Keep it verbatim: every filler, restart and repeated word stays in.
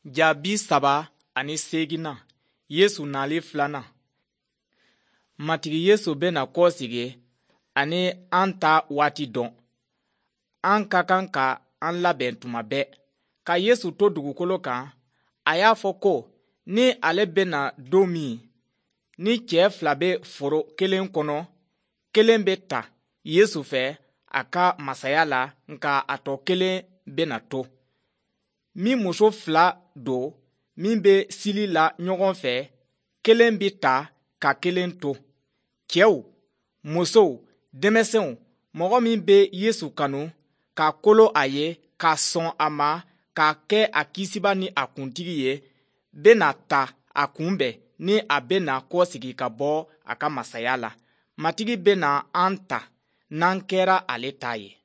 Ja bi saba ani seeginnan, Yesu nali filanan. Matigi Yesu bɛna kɔsegin ani an ta waati dɔn. An ka kan ka an labɛn tuma bɛɛ. Ka Yesu to dugukolo kan, a y'a fɔ ko ni ale bɛna don min, ni cɛ fila bɛ foro kelen kɔnɔ, kelen bɛ ta Yesu fɛ a ka masaya la, nka a tɔ kelen bɛna to. Min muso fila don min bɛ sili la ɲɔgɔn fɛ, kelen bɛ ta ka kelen to. Cɛw, musow, denmisɛnw, mɔgɔ min bɛ Yesu kanu, ka kolo a ye, ka sɔn a ma, k'a kɛ a kisibaa ni a kuntigi ye, bɛna ta a kunbɛn ni a bɛna kɔsegin ka bɔ a ka masaya la. Matigi bɛna an ta n'an kɛra ale ta ye.